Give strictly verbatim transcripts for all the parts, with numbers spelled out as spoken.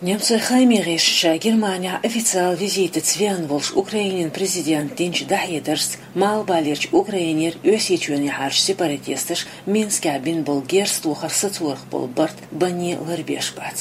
Немцойн хааман гӀирсаша Германехь официалан визитаца веана волуш Украинан президента динчу дӀахьедаршца, Малхбалерчу Украинера Оьрсийчоьнна яхьарчу сепаратисташа Минскехь бина болу герз тохар сацорах болу барт банне ларбеш бац.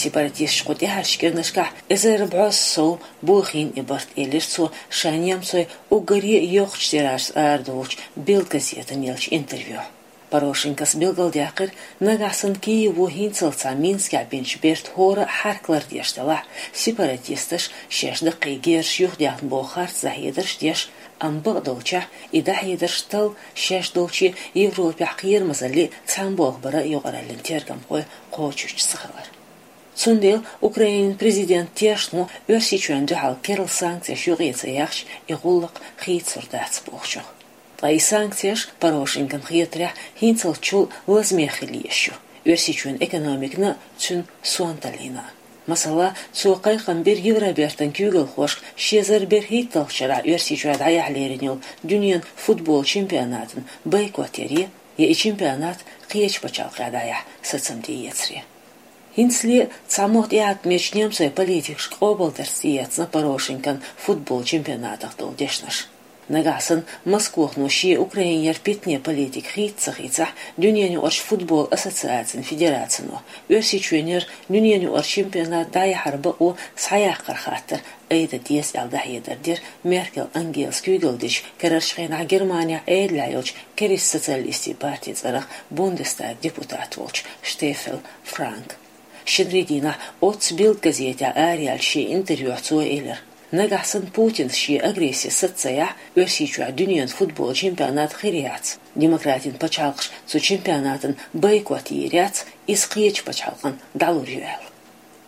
Сепаратисташа кху тӀаьхьарчу кӀирнашкахь эзар бӀозза сов бохийна и барт, элира цо, ша немцойн уггаре а йоккхачу тиражца арадолучу Бильд газетана еллачу интервьюхь. Порошенкос билгалдаьккхира, нагахь санна Киево хӀинццалц цхьа Минскехь бинчу бертан хӀора а хьарк лардеш делахь, сепаратисташа шаьш даккхий герзаш юхадаьхна боху харц дӀахьедарш деш, амма бакъдолчехь и дӀахьедарш талла шаьш долчу Европехь кхерамазаллин а, цхьаьна болх баран а юкъараллин тергамхой кхочушдеш ца хилар. Цундела Украинан президентан тешнамо Оьрсийчоьнна дуьхьал керла санкцеш юкъе ца яхча, и гӀуллакх хийцалур дац бохучух. Ткъа и санкцеш, Порошенкона хетарехь, хӀинццалц чул лазаме хила езаш ю, Оьрсийчоьнан экономикана а, цуьнан сонталлина а. Масала, цо кхайкхам бира Евробертан куьйгалхошка ши эзар берхӀитталгӀачу шарахь Оьрсийчохь дӀаяхьа лерина йолу дуьненан футбол чемпионатан бойкот яре, я и чемпионат кхечу пачхьалкхехь дӀаяхьа сацам тӀеэцаре. ХӀинцале а цхьа мотт тӀеӀаткъамечу немцойн политикашка къобалдарца тӀеэцна Порошенкон футбол чемпионатах долу дешнаш. Нагахь санна Москвахо шен Украинера питане политика хийца ца хийцахь, Дуьненаюкъарчу футбол ассоциацин федерацино Оьрсийчоьнера Дуьненаюкъарчу чемпионат дӀаяхьаран бакъо схьаяккхар хаттар айда деза аьлла дӀахьедар дира Меркел Ангелас куьйгалла дечу карарчу хенахь Германехь Ӏедалехь йолчу Керста социалистийн партин цӀарах Бундестаган депутат волчу Штеффель Франка. Шинарин дийнахь оццу Бильд газетехь араяьллачу шен интервьюхь цо элира, нагахь санна Путинс шен агресси саца ца яхь, Оьрсийчохь дуьненан футбол чемпионат хир яц, демократийн пачхьалкхаш цу чемпионатан бойкот йийр яц, иза кхечу пачхьалкхана дӀалур ю аьлла.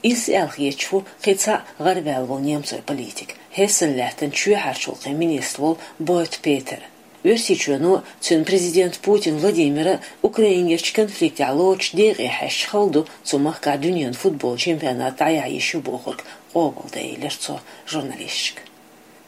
Иза аьлла хеташ ву кхин цхьаъ гӀарваьлла волу немцойн политик, Хессен лаьттан чоьхьарчу гӀуллакхийн министр волу Бойт Петер. Оьрсийчоьно, цуьнан президента Путин Владимира Украинерчу конфликтехь лоцучу декъе хьаьжча хала ду цу махкахь дуьненан футбол чемпионат дӀаяхьа йиш ю бохург къобалдан, элира цо журналисташка.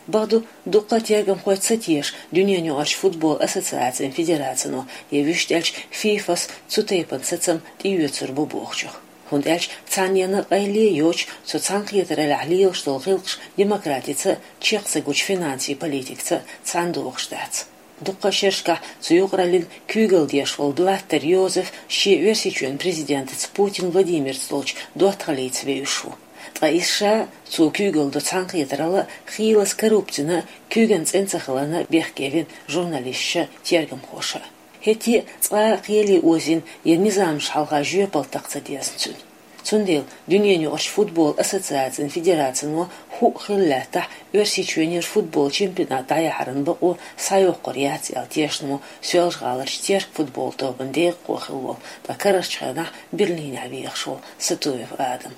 Бакъду, дуккха а тергамхой ца теша Дуьненаюкъарчу футбол ассоциацин федерацино я вуьшта аьлча ФИФАс цу тайпана сацам тӀеоьцур бу бохучух. ХӀунда аьлча цхьаннена къайле а йоцуш, цу цхьаьнакхетараллехь лелаш долу гӀиллакхаш демократица а, чекх ца гучу финансийн политикаца а цхьаьна догӀуш дац. Дуккха а шерашкахь цу юкъараллин куьйгалла деш волу Блаттер Йозеф шен Оьрсийчоьнан президентаца Путин Владимирца долчу доттагӀаллица вевзаш ву. Ткъа иза ша а, цо куьйгалла до цхьаьнакхетаралла а, хийлаза коррупцина а куьйган цӀена ца хиларна а бехке вина журналисташа а, тергамхоша а. ХӀетте а цкъа а кхеле озийна я низамаш хьалха жоьпалла такха ца дезна цуьнан. Цундела Дуьненаюкъарчу футбол ассоциацин федерацино хӀуъа хилла лаьттахь, Оьрсийчоьнера футбол чемпионат дӀаяхьаран бакъо схьайоккхур яц аьлла тешнамо Соьлжа-ГӀаларчу «Терк» футбол тобан декъахо хилла волу, ткъа карарчу хенахь Берлинехь вехаш волу Сатуев Адам.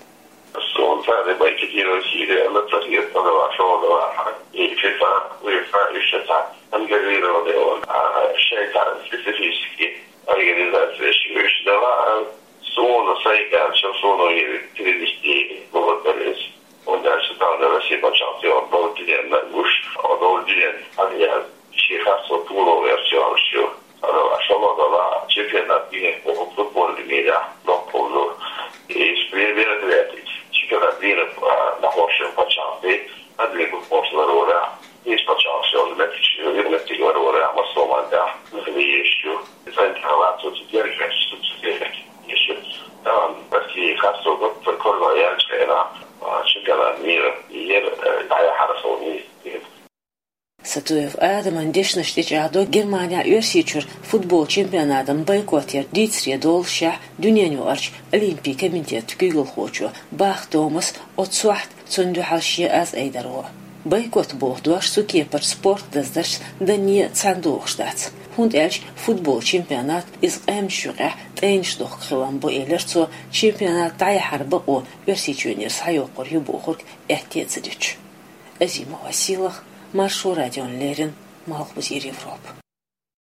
Суна цара бойкотировать йийр яц, цара хӀетта а ваьлла, шолгӀа ваьлла, и ФИФА, УЕФА, уьш цхьа контролировать йолу, а, шайн цхьа специфический организацеш уьш дала, а, суна сайга аьлча, суна и перевести бохург дара иза. ХӀунда аьлча тахана Россия пачхьалкхе бохург динарг гуш, а бохург динарг хьан яьлла, шен харцо пуло верча йолуш ю. Ала, шолгӀа ваьлла, чемпионат мира бохург футбольный мирехь доккхул ду. И мероприятие, чемпионат мира, а, нахошан пачхьалкхе, а, две год после ларора, иза пачхьалкхе шолгӀа меттиг, юкъаметтиг ларора, массо а мандахь, нахана еш ю. Центр лацо цу дерг, цу дерг еш ю. Там Россия харцо гуттар а корзагӀ яьллачу хенахь, а, чемпионат мира, ер, э, дӀаяхьара со вуй. Сатуев Адаман дешнаш тӀечӀагӀдо Германехь Оьрсийчуьра футбол чемпионатан бойкот яр дийцаре доллушехь, Дуьненаюкъарчу Олимпийн комитетан куьйгалхочо Бах Томаса оццу сохьта цунна дуьхьал шен аз айдаро. Бойкот боху дош цу кепарчу спорт даздаршца данне а цхьаьна догӀуш дац, хӀунда аьлча футбол чемпионат иза къаьмнашна юкъехь тӀайнаш дохку хилам бу, элира цо, чемпионат дӀаяхьара бакъо Оьрсийчоьнера схьайоккхур ю бохург аьтте а ца дуьтуш. Азимова Сийлаха, Маршо радиона леррина, Малхбузера Европа.